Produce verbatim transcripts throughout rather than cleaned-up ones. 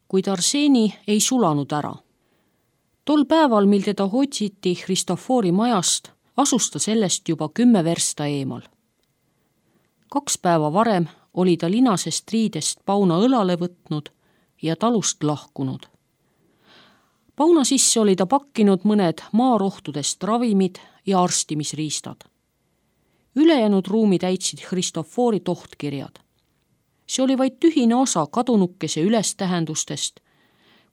kuid Arseni ei sulanud ära. Tol päeval, mil teda otsiti Christofori majast, asus ta sellest juba kümme versta eemal. Kaks päeva varem oli ta linasest riidest Pauna õlale võtnud ja talust lahkunud. Pauna sisse oli ta pakkinud mõned maarohtudest ravimid ja arstimisriistad. Ülejäänud ruumi täitsid Christofori tohtkirjad. See oli vaid tühine osa kadunukese ülestähendustest,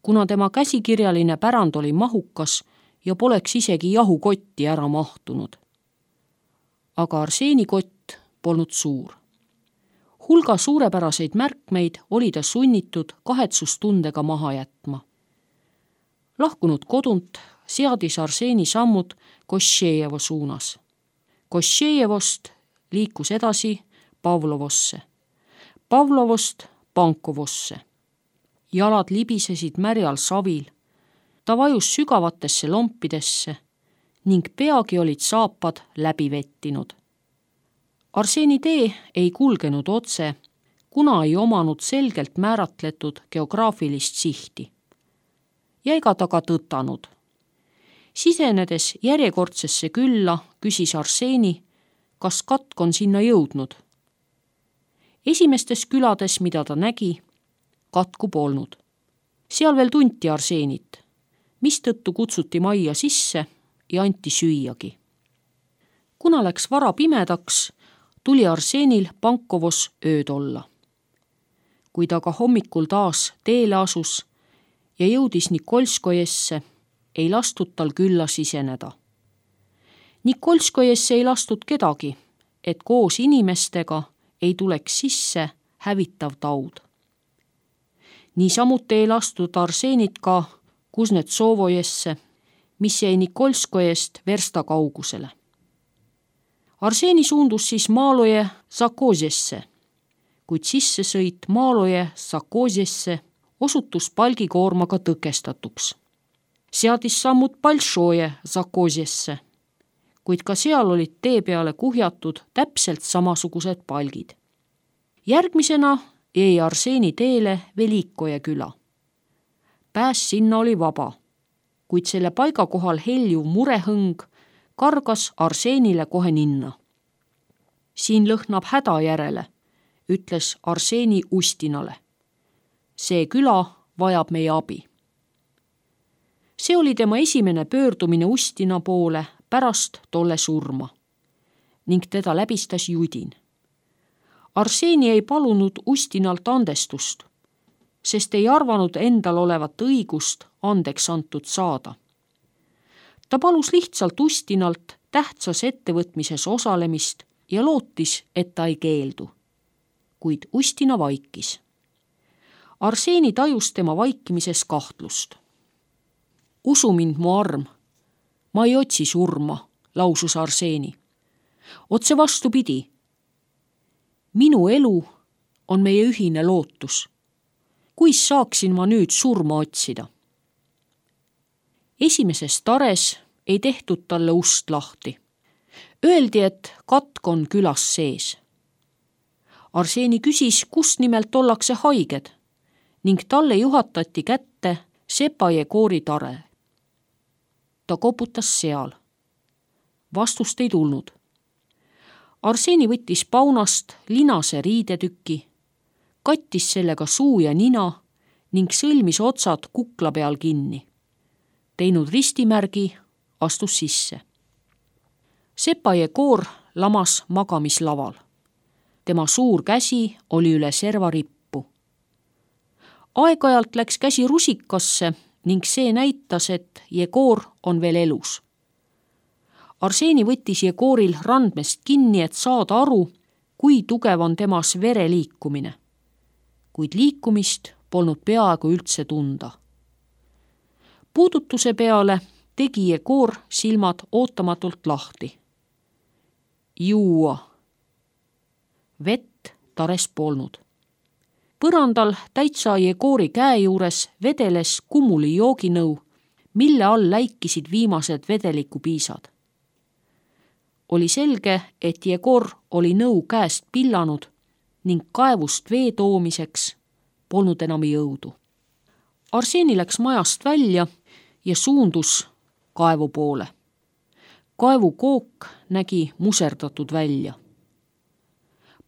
kuna tema käsikirjaline pärand oli mahukas ja poleks isegi jahukotti ära mahtunud. Aga Arseni kott polnud suur. Hulga suurepäraseid märkmeid oli ta sunnitud kahetsustundega maha jätma. Lahkunud kodunt seadis Arseni sammud Koššejevo suunas. Koššejevost liikus edasi Pavlovosse, Pavlovost Pankovosse. Jalad libisesid märjal savil, ta vajus sügavatesse lompidesse ning peagi olid saapad läbi vettinud. Arseni tee ei kulgenud otse, kuna ei omanud selgelt määratletud geograafilist sihti. Ja ega ta ka tõtanud. Sisenedes järjekordsesse külla küsis Arseni, kas katk on sinna jõudnud. Esimestes külades, mida ta nägi, katku polnud. Seal veel tunti Arsenit, mistõttu kutsuti majja sisse ja anti süüagi. Kuna läks vara pimedaks, tuli Arsenil Pankovos ööd olla. Kui ta ka hommikul taas teele asus ja jõudis Nikolskojesse, ei lastud tal külla siseneda. Nikolskojesse ei lastud kedagi, et koos inimestega ei tuleks sisse hävitav taud. Niisamuti ei lastud Arsenit ka Kuznetsovojesse, mis jäi Nikolskojest versta kaugusele. Arseni suundus siis Maaloje Zakozjesse, kuid sissesõit Maaloje Zakozjesse osutus palgikoormaga tõkestatuks. Seadis sammud Balšoje Zakozjesse, kuid ka seal olid tee peale kuhjatud täpselt samasugused palgid. Järgmisena jäi Arseni teele Velikoje küla. Pääs sinna oli vaba, kuid selle paiga kohal heljuv murehõng kargas Arsenile kohe ninna. Siin lõhnab häda järele, ütles Arseni Ustinale. See küla vajab meie abi. See oli tema esimene pöördumine Ustina poole pärast tolle surma ning teda läbistas judin. Arseni ei palunud Ustinalt andestust, sest ei arvanud endal olevat õigust andeks antud saada. Ta palus lihtsalt Ustinalt tähtsas ettevõtmises osalemist ja lootis, et ta ei keeldu. Kuid Ustina vaikis. Arseni tajus tema vaikimises kahtlust. Usu mind, mu arm, ma ei otsi surma, lausus Arseni. Otse vastupidi. Minu elu on meie ühine lootus. Kuis saaksin ma nüüd surma otsida? Esimeses tares ei tehtud talle ust lahti. Öeldi, et katk on külas sees. Arseni küsis, kus nimelt ollakse haiged ning talle juhatati kätte Sepaje koori tare. Ta koputas seal. Vastust ei tulnud. Arseni võttis paunast linase riidetüki, kattis sellega suu ja nina ning sõlmis otsad kukla peal kinni. Teinud ristimärgi, astus sisse. Sepaje koor lamas magamislaval. Tema suur käsi oli üle servarippu. Aeg-ajalt läks käsi rusikasse ning see näitas, et Jegor on veel elus. Arseni võttis Jegoril randmest kinni, et saada aru, kui tugev on temas vere liikumine. Kuid liikumist polnud peaaegu üldse tunda. Puudutuse peale tegi Jegor silmad ootamatult lahti. Juua. Vett tares polnud. Põrandal täitsa Jegori käe juures vedeles kumuli jooginõu, mille all läikisid viimased vedelikupiisad. Oli selge, et Jegor oli nõu käest pillanud ning kaevust vee toomiseks polnud enam jõudu. Arseni läks majast välja ja suundus kaevu poole. Kaevu kook nägi muserdatud välja.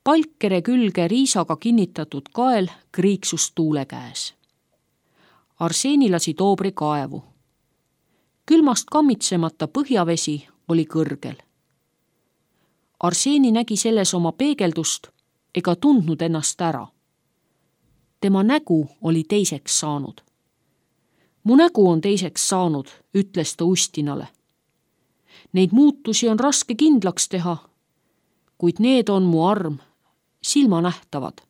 Palkere külge riisaga kinnitatud kael kriiksus tuule käes. Arseni lasi Toobri kaevu. Külmast kammitsemata põhjavesi oli kõrgel. Arseni nägi selles oma peegeldust ega tundnud ennast ära. Tema nägu oli teiseks saanud. Mu nägu on teiseks saanud, ütles ta Ustinale. Neid muutusi on raske kindlaks teha, kuid need on mu arm, silmanähtavad.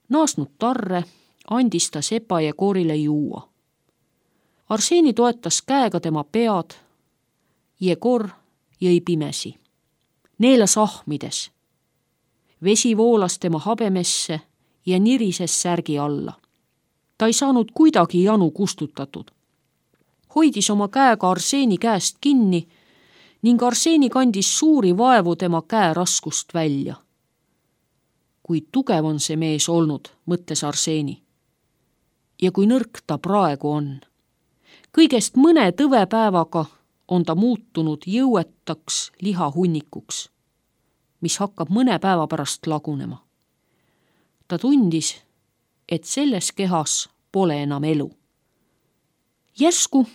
Naasnud tarre andis ta Sepa Jegorile juua. Arseni toetas käega tema pead, Jegor jõi pimesi. Neelas ahmides. Vesi voolas tema habemesse ja nirises särgi alla. Ta ei saanud kuidagi janu kustutatud. Hoidis oma käega Arseni käest kinni ning Arseni kandis suuri vaevu tema käe raskust välja. Kui tugev on see mees olnud, mõtles Arseni. Ja kui nõrk ta praegu on. Kõigest mõne tõvepäevaga on ta muutunud jõuetaks lihahunnikuks, mis hakkab mõne päeva pärast lagunema. Ta tundis, et selles kehas pole enam elu. Järsku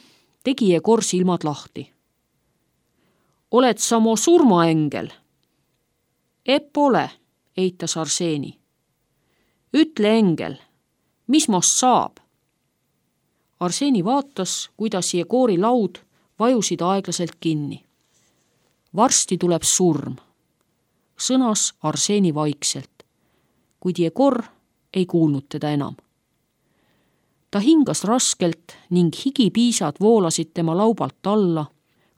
tegi Jegor silmad lahti. Oled sa mu surmaengel? Epp ole, eitas Arseni. Ütle engel, mis most saab? Arseni vaatas, kuidas Jegori laud vajusid aeglaselt kinni. Varsti tuleb surm, sõnas Arseni vaikselt, kuid Jegor ei kuulnud teda enam. Ta hingas raskelt ning higipiisad voolasid tema laubalt alla,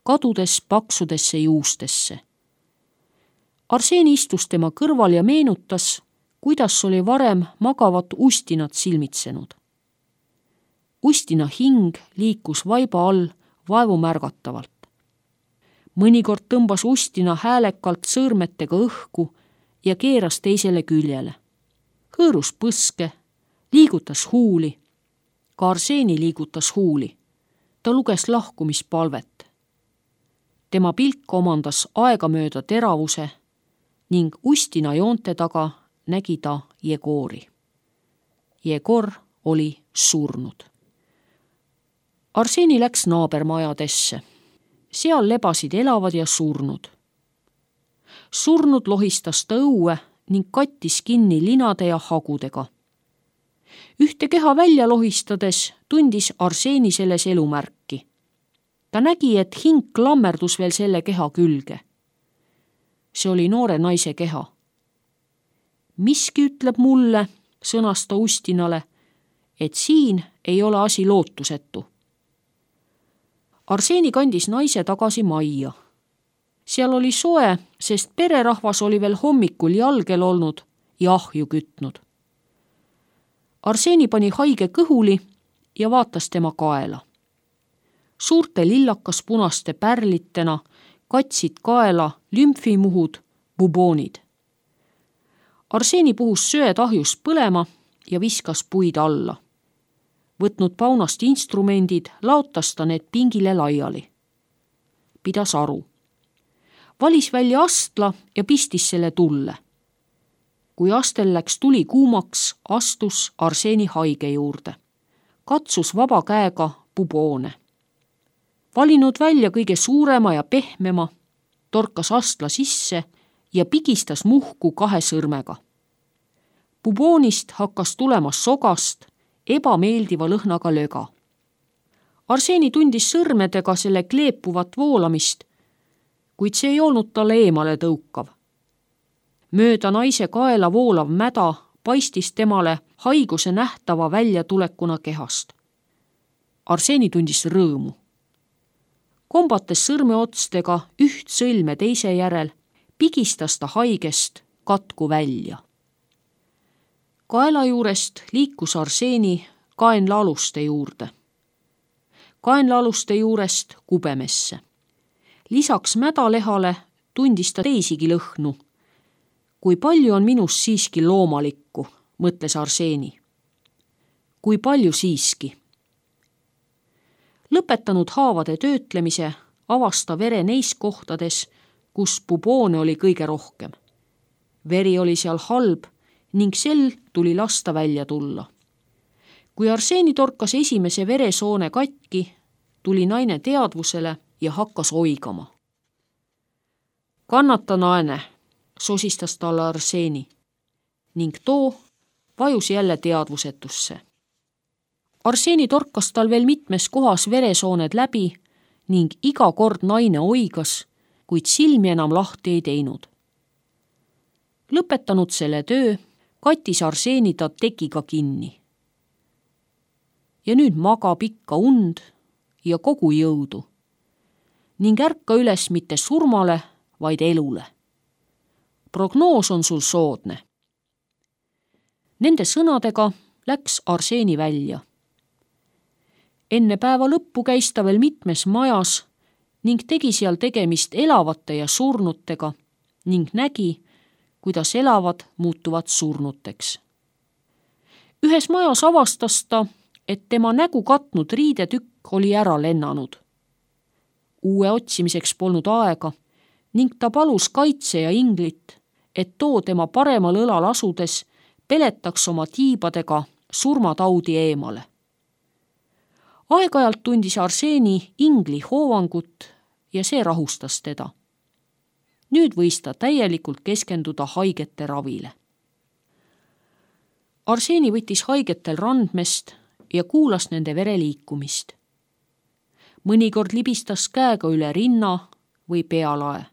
kadudes paksudesse juustesse. Arseni istus tema kõrval ja meenutas, kuidas oli varem magavat Ustinat silmitsenud. Ustina hing liikus vaiba all vaevumärgatavalt. Mõnikord tõmbas Ustina häälekalt sõõrmetega õhku ja keeras teisele küljele. Hõõrus põske, liigutas huuli. Ka Arseni liigutas huuli. Ta luges lahkumispalvet. Tema pilk omandas aegamööda teravuse ning Ustina joonte taga nägi ta Jegori. Jegor oli surnud. Arseni läks naabermajadesse. Seal lebasid elavad ja surnud. Surnud lohistas ta õue ning kattis kinni linade ja hagudega. Ühte keha välja lohistades tundis Arseni selles elumärki. Ta nägi, et hing klammerdus veel selle keha külge. See oli noore naise keha. Miski ütleb mulle, sõnas ta Ustinale, et siin ei ole asi lootusetu. Arseni kandis naise tagasi majja. Seal oli soe, sest pererahvas oli veel hommikul jalgel olnud ja ahju kütnud. Arseni pani haige kõhuli ja vaatas tema kaela. Suurte lillakas punaste pärlitena katsid kaela lümfimuhud, buboonid. Arseni puhus söed ahjus põlema ja viskas puid alla. Võtnud paunast instrumendid, laotas ta need pingile laiali. Pidas aru. Valis välja astla ja pistis selle tulle. Kui astel läks tuli kuumaks, astus Arseni haige juurde. Katsus vaba käega buboone. Valinud välja kõige suurema ja pehmema, torkas astla sisse ja pigistas muhku kahe sõrmega. Buboonist hakkas tulema sogast, ebameeldiva lõhnaga löga. Arseni tundis sõrmedega selle kleepuvat voolamist, kuid see ei olnud talle eemale tõukav. Mööda naise kaela voolav mäda paistis temale haiguse nähtava väljatulekuna kehast. Arseni tundis rõõmu. Kombates sõrmeotstega üht sõlme teise järel, pigistas ta haigest katku välja. Kaela juurest liikus Arseni kaenlaaluste juurde. Kaenlaaluste juurest kubemesse. Lisaks mädalehale tundis ta teisigi lõhnu. Kui palju on minus siiski loomalikku, mõtles Arseni. kui palju siiski. Lõpetanud haavade töötlemise, avasta vere neis kohtades, kus buboone oli kõige rohkem. Veri oli seal halb ning sel tuli lasta välja tulla. Kui Arseeni torkas esimese veresoone katki, tuli naine teadvusele ja hakkas oigama. Kannata naene, sosistas talle Arseeni ning too vajus jälle teadvusetusse. Arseeni torkas tal veel mitmes kohas veresooned läbi ning iga kord naine oigas, kuid silmi enam lahti ei teinud. Lõpetanud selle töö, kattis Arseeni ta tekiga kinni. Ja nüüd maga pikka und ja kogu jõudu ning ärka üles mitte surmale, vaid elule. Prognoos on sul soodne. Nende sõnadega läks Arseeni välja. Enne päeva lõppu käis ta veel mitmes majas ning tegi seal tegemist elavate ja surnutega ning nägi, kuidas elavad muutuvad surnuteks. Ühes majas avastas ta, et tema nägu katnud riidetükk oli ära lennanud. Uue otsimiseks polnud aega ning ta palus kaitse ja inglit, et too tema paremal õlal asudes peletaks oma tiibadega surmataudi eemale. Aeg-ajalt tundis Arseeni ingli hoovangut ja see rahustas teda. Nüüd võis ta täielikult keskenduda haigete ravile. Arseeni võttis haigetel randmest ja kuulas nende vereliikumist. Mõnikord libistas käega üle rinna või pealae.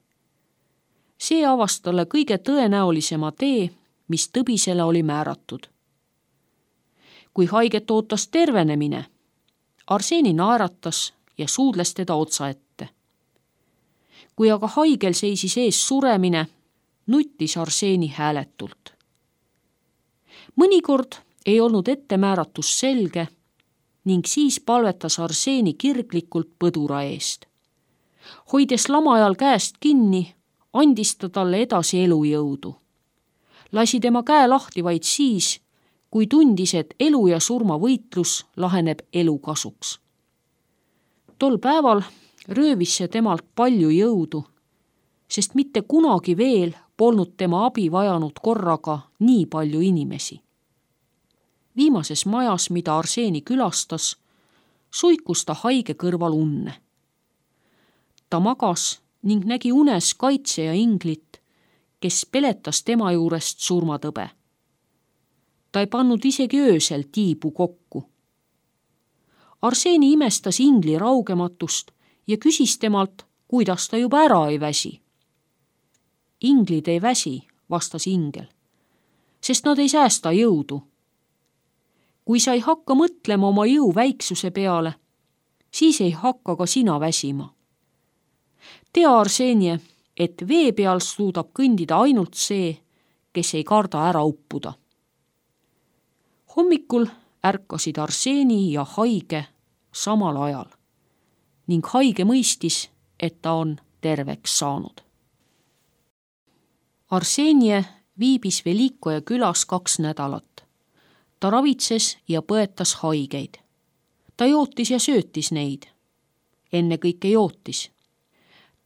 See avas talle kõige tõenäolisema tee, mis tõbisele oli määratud. Kui haiget ootas tervenemine, Arseeni naeratas ja suudles teda otsa ette. Kui aga haigel seisis ees suremine, nuttis Arseeni hääletult. Mõnikord ei olnud ettemääratus selge ning siis palvetas Arseeni kirglikult põdura eest. Hoides lamajal käest kinni, andis ta talle edasi elujõudu. Lasi tema käe lahti vaid siis, kui tundis, et elu ja surma võitlus laheneb elu kasuks. Tol päeval röövis see temalt palju jõudu, sest mitte kunagi veel polnud tema abi vajanud korraga nii palju inimesi. Viimases majas, mida Arseeni külastas, suikus ta haige kõrval unne. Ta magas ning nägi unes kaitse ja inglit, kes peletas tema juurest surmatõbe. Ta ei pannud isegi öösel tiibu kokku. Arseeni imestas ingli raugematust ja küsis temalt, kuidas ta juba ära ei väsi. Inglid ei väsi, vastas ingel, sest nad ei säästa jõudu. Kui sa ei hakka mõtlema oma jõu väiksuse peale, siis ei hakka ka sina väsima. Tea, Arseenie, et vee peal suudab kõndida ainult see, kes ei karda ära uppuda. Hommikul ärkasid Arseeni ja haige samal ajal ning haige mõistis, et ta on terveks saanud. Arseenie viibis Velikoja külas kaks nädalat. Ta ravitses ja põetas haigeid. Ta jootis ja söötis neid. Enne kõike jootis.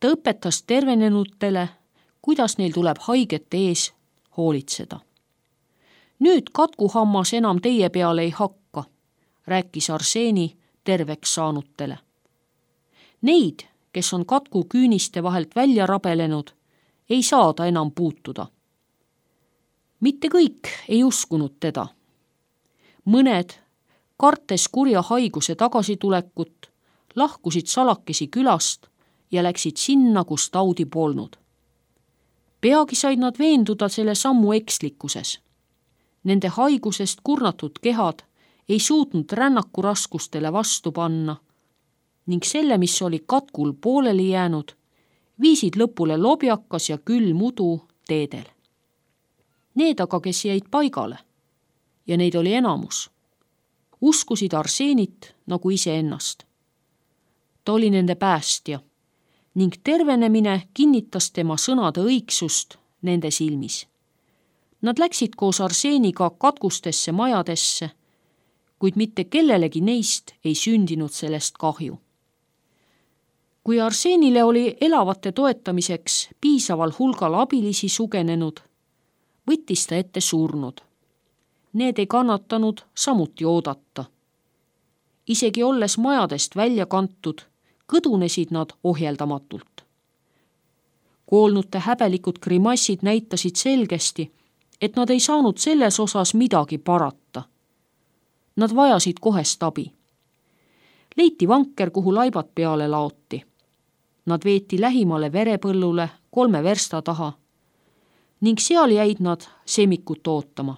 Ta õpetas tervenenutele, kuidas neil tuleb haigete ees hoolitseda. Nüüd katkuhammas enam teie peale ei hakka, rääkis Arseeni terveks saanutele. Neid, kes on katku küüniste vahelt välja rabelenud, ei saada enam puutuda. Mitte kõik ei uskunud teda. Mõned, kartes kurja haiguse tagasitulekut, lahkusid salakesi külast ja läksid sinna, kus taudi polnud. Peagi said nad veenduda selle sammu ekslikkuses. Nende haigusest kurnatud kehad ei suutnud rännaku raskustele vastu panna ning selle, mis oli katkul pooleli jäänud, viisid lõpule lobjakas ja külm udu teedel. Need aga, kes jäid paigale, ja neid oli enamus, uskusid Arseenit nagu iseennast. Ta oli nende päästja ning tervenemine kinnitas tema sõnade õigsust nende silmis. Nad läksid koos Arseeniga katkustesse majadesse, kuid mitte kellelegi neist ei sündinud sellest kahju. Kui Arsenile oli elavate toetamiseks piisaval hulgal abilisi sugenenud, võttis ta ette surnud. Need ei kannatanud samuti oodata. Isegi olles majadest välja kantud, kõdunesid nad ohjeldamatult. Koolnute häbelikud grimassid näitasid selgesti, et nad ei saanud selles osas midagi parata. Nad vajasid kohest abi. Leiti vanker, kuhu laibad peale laoti. Nad veeti lähimale verepõllule kolme versta taha ning seal jäid nad semikut ootama.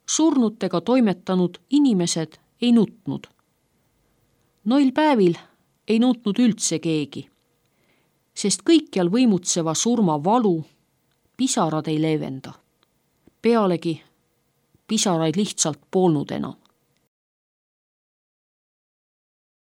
Surnutega toimetanud inimesed ei nutnud. Noil päevil ei nutnud üldse keegi, sest kõikjal võimutseva surma valu pisarad ei leevenda. Pealegi pisaraid lihtsalt polnud enam.